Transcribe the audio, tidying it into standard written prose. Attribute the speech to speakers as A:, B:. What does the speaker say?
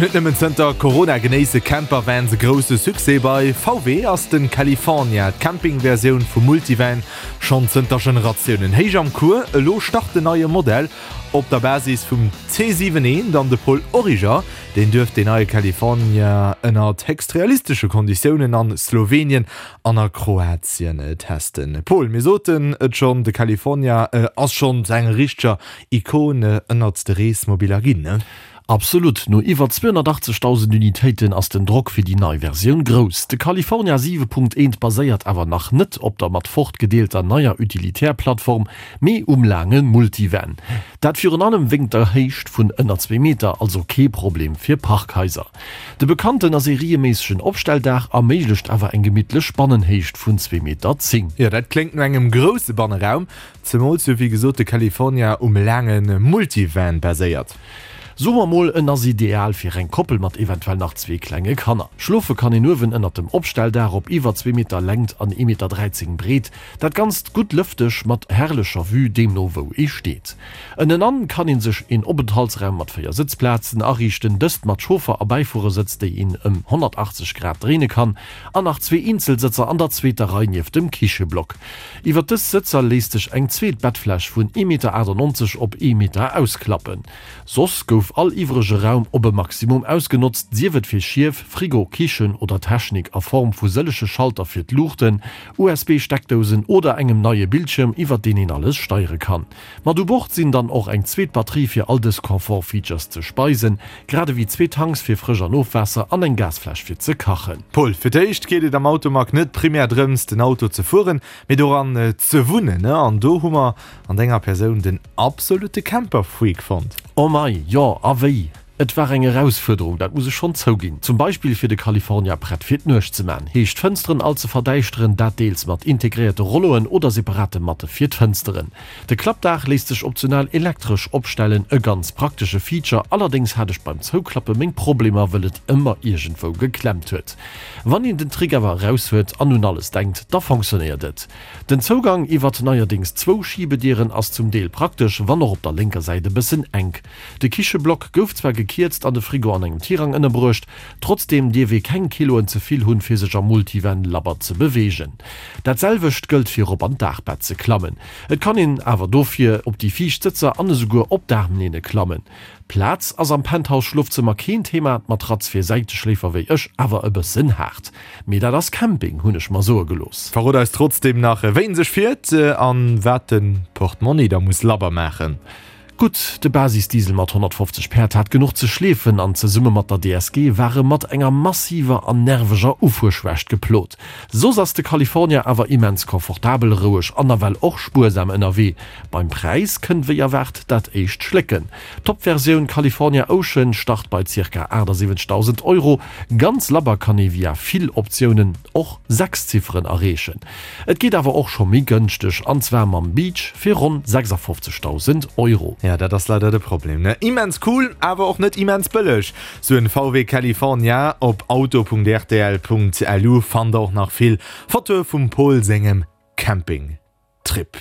A: Net nëmmen zënter Corona genéisse Campervans e grousse Succès. Bei VW ass de California, d'Camping-Versioun vum Multivan, schonn zënter Generatiounen héich am Cours. Elo start den neie Modell op der Basis vum C7 eent an de Paul Origer, deen duerft deen neie California ënnert héchst realistesche Konditiounen an Slowenien an a Kroatien testen. Paul, mir soten et schonn, de California ass schonn zu enger richteger Ikon ënnert de Reesmobiller ginn, ne?
B: Absolut, no iwwer 280.000 Unitéiten ass den Drock fir déi nei Versioun grouss. De California 7.1 baséiert awer nach net op der mat Ford gedeelter neier Utilitär-Plattform, mee um laange Multivan. Dat virun allem wéngt der Héicht vun ënner zwee Meter, also kee Problem fir Parkhaiser. De bekannten a serieméissegen Opstelldaach erméiglecht awer eng gemittlech Bannenhéicht vun 2,10 Meter.
A: Jo, dat kléngt no engem grousse Banneraum, zemools jo wéi gesot de California um laange Multivan baséiert.
B: Soe mer mol, en ass ideal fir eng Koppel mat eventuell nach zwee klenge Kanner. Schlofe kann een uewen ënnert dem Opstelldaach op iwwer zwee Meter Längt an ee Meter 13 Breet. Dat Ganzt gutt lëfteg mat herrlecher Vue, deemno wou ee steet. Ënnenan kann een sech een Openthaltsraum mat 4 Sëtzplazen ariichten, dëst mat Chauffer a Bäifuerersëtz, déi een ëm 180 Grad dréine kann, an nach zwee Eenzelsëtzer an der zweeter Rei nieft dem Kicheblock. Iwwer dës Sëtzer léisst sech eng zweet Bettfläch vun ee Meter 98 op ee Meter ausklappen. Soss gouf all iwwrege Raum op e Maximum ausgenotzt, sief et fir Schief, Frigo, Kichen oder Technik a Form vu sëllege Schalter fir d'Luuchten, USB-Steckdousen oder engem neie Bildschirm, iwwert deen een alles steiere kann. Mat u Bord sinn dann och eng zweet Batterie fir all dës Confort-Features ze speisen, grad ewéi zwee Tanks fir Frësch an Ofwaasser an eng Gasfläsch fir ze kachen.
A: Paul, Fir d'éischt geet et am Automag net primär drëms, den Auto ze fueren, mee doran ze wunnen. An do hu mer an denger Persoun den absolutte Camper-Freak fonnt.
B: Oh mei, jo, a wéi! Et war eng Erausfuerderung, dat muss ech schonn zouginn. Zum Beispill fir de California prett fir d'Nuecht ze man, heescht d'Fënsteren all ze verdäischteren, dat deels mat integréierte Rolloen oder separate Matte fir d'Fënsteren. De Klappdaach léisst sech optional elektresch opstellen, e ganz praktesche Feature, allerdéngs hat ech beim Zouklappe meng Problemer, wëll et ëmmer iergendwou geklemmt huet. Wann een den Trick awer eraus huet an un alles denkt, da fonctionnéiert et. Den Zougang iwwert neierdéngs zwou Schibedieren ass zum Deel praktesch, wann och op der lénker Säit e bëssen enk. De Kicheblock gouf zwar gekierzt an de Frigo an engem Tirang ënnerbruecht, trotzdeem dierf ee keng Kiloen ze vill hunn, fir sech am Multivan labber ze beweegen. Dat selwecht gëllt fir op an d'Daachbett ze klammen. Et kann een awer dofir op déi viischt Sëtzer an esouguer op d'Aarmlehne klammen. Plaz ass am Penthouse-Schlofzëmmer keen Thema, d'Matratz fir Säiteschléifer wéi ech awer e bëssen haart. Mee dat ass Camping, hunn ech mer soe gelooss.
A: Verrot eis trotzdeem nach, wéi en sech fiert an wat de Portmonni da muss labber maachen.
B: Gutt, de Basisdiesel mat 150 Päerd hat genuch ze schleefen an zesumme mat der DSG war e mat enger massiver an nerveger Ufuerschwächt geplot. Soss ass de California awer immens confortabel, roueg an nawell och spuersam ënnerwee. Beim Präis kënnt wéi erwaart dat éischt Schlécken. D'Top-Versioun California Ocean start bei zirka 78.000 Euro. Ganz labber kann ee via vill Optiounen och 6 Zifferen erreechen. Et geet awer och scho méi gënschteg, an zwar mam Beach fir ronn 56.000 Euro.
A: Ja, dat ass leider de Problem, ne? Immens cool, awer och net immens bëlleg, sou en VW California. Op auto.rtl.lu fannt der och nach vill Fotoe vum Paul sengem Campingtrip.